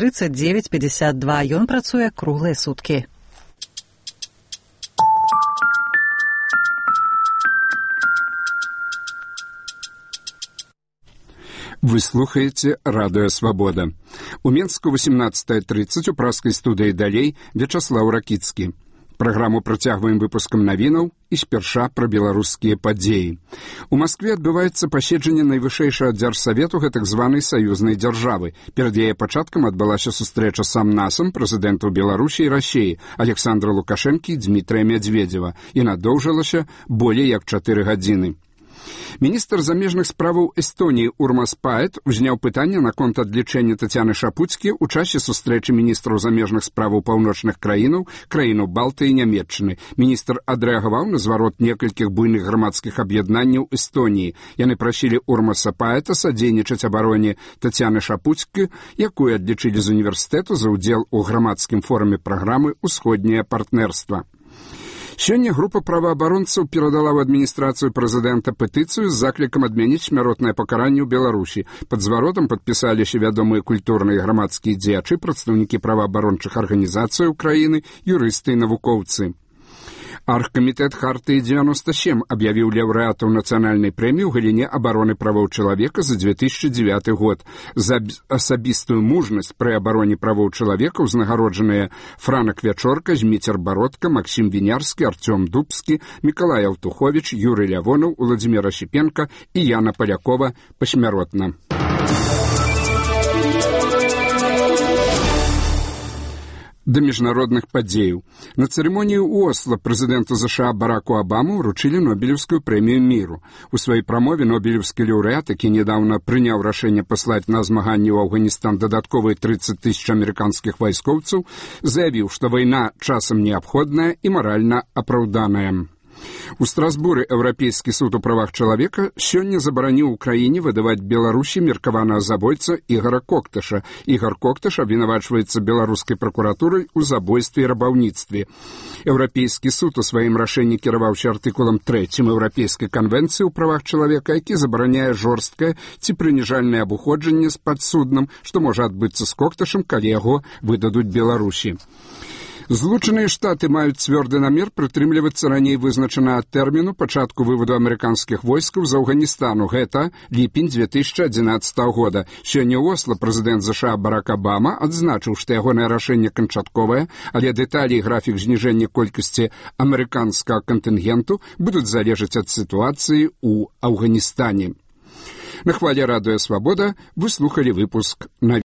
39 52. Ён працуе круглыя суткі. Вы слухаеце Радыё Свабода. У Менску 18:30 у праскай студыі «Далей» Вячаслаў Ракіцкі. Праграму працягваем выпускам навінаў і спярша пра беларускія падзеі. У Маскве адбываецца паседжанне найвышэйшага дзяржсавету гэтак званай саюзнай дзяржавы. Перад яе пачаткам адбылася сустрэча сам-насам прэзідэнтаў Беларусі і Расіі Александра Лукашэнкі і Дмітрыя Мядзведзева і надоўжылася болей як 4 гадзіны. Міністр замежных справаў Эстоніі Урмас Паэт узняў пытанне наконт адлічэння Тацяны Шапуцкі ў часе сустрэчы міністраў замежных справаў паўночных краінаў Балтыі і Нямецчыны. Міністр адрэагаваў на зварот некалькіх буйных грамадскіх аб'яднанняў Эстоніі. Яны прасілі Урмаса Паэта садзейнічаць абароне Тацяны Шапуцкі, якую адлічылі з універсітэту за ўдзел у грамадскім форуме праграмы «Усходняе партнерства». Сёння група праваабаронцаў перадала ў адміністрацыю прэзідэнта петыцыю з заклікам адмяніць смяротнае пакаранне ў Беларусі. Пад зваротам падпісаліся вядомыя культурныя і грамадскія дзеячы, прадстаўнікі праваабарончых арганізацыяў краіны, юрысты і навукоўцы. Аргкамітэт Хартыі 97 аб'явіў лаўрэатаў нацыянальнай прэміі ў галіне абароны правоў чалавека за 2009 год. За асабістую мужнасць пры абароне правоў чалавека узнагароджаныя Франак Вячорка, Зміцер Бародка, Максім Вінярскі, Артём Дубскі, Мікалай Алтуховіч, Юрый Лявонаў, Уладзімір Асіпенка і Яна Палякова пасмяротна. Да міжнародных падзеяў. На цырымоніі ў Осла прэзідэнту США Бараку Абаму ўручылі Нобелеўскую прэмію міру. У сваёй прамове нобелеўскі лаўрэат, які нядаўна прыняў рашэнне паслаць на змаганні ў Афганістан дадатковыя 30 000 амерыканскіх вайскоўцаў, заявіў, што вайна часам неабходная і маральна апраўданая. У Страсбуры Еўрапейскі суд у правах чалавека сёння забараніў у краіне выдаваць Беларусі меркаванага забойца Ігара Кокташа. Ігар Кокташ абвінавачваецца беларускай пракуратурай у забойстве і рабаўніцтве. Еўрапейскі суд у сваім рашэнні кіраваўся артыкулам 3 Еўрапейскай канвенцыі ў правах чалавека, які забараняе жорсткае ці прыніжальнае абыходжанне з падсудным, што можа адбыцца з Кокташам, калі яго выдадуць Беларусі. Злучаныя Штаты маюць цвёрды намер прытрымлівацца раней вызначанага тэрміну пачатку выводу амерыканскіх войскаў з Афганістану. Гэта ліпень 2011 года. Сёння ў Осла прэзідэнт США Барак Абама адзначыў, што ягонае рашэнне канчатковае, але дэталі і графік зніжэння колькасці амерыканскага кантынгенту будуць залежаць ад сітуацыі ў Афганістане. На хвале Радыё Свабода вы слухалі выпуск